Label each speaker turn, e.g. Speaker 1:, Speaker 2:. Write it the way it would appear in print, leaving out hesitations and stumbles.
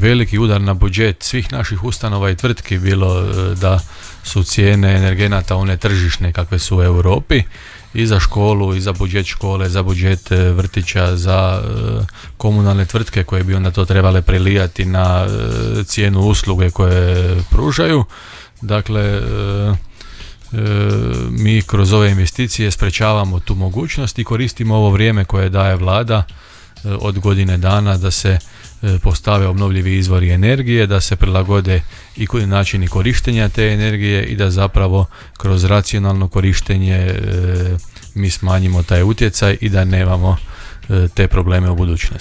Speaker 1: veliki udar na budžet svih naših ustanova i tvrtki, bilo da su cijene energenata one tržišne kakve su u Europi, i za školu, i za budžet škole, za budžet vrtića, za komunalne tvrtke koje bi onda to trebale prelijati na cijenu usluge koje pružaju. Dakle, mi kroz ove investicije sprečavamo tu mogućnost i koristimo ovo vrijeme koje daje vlada od godine dana da se postave obnovljivi izvori energije, da se prilagode i načini korištenja te energije i da zapravo kroz racionalno korištenje mi smanjimo taj utjecaj i da nemamo te probleme u budućnosti.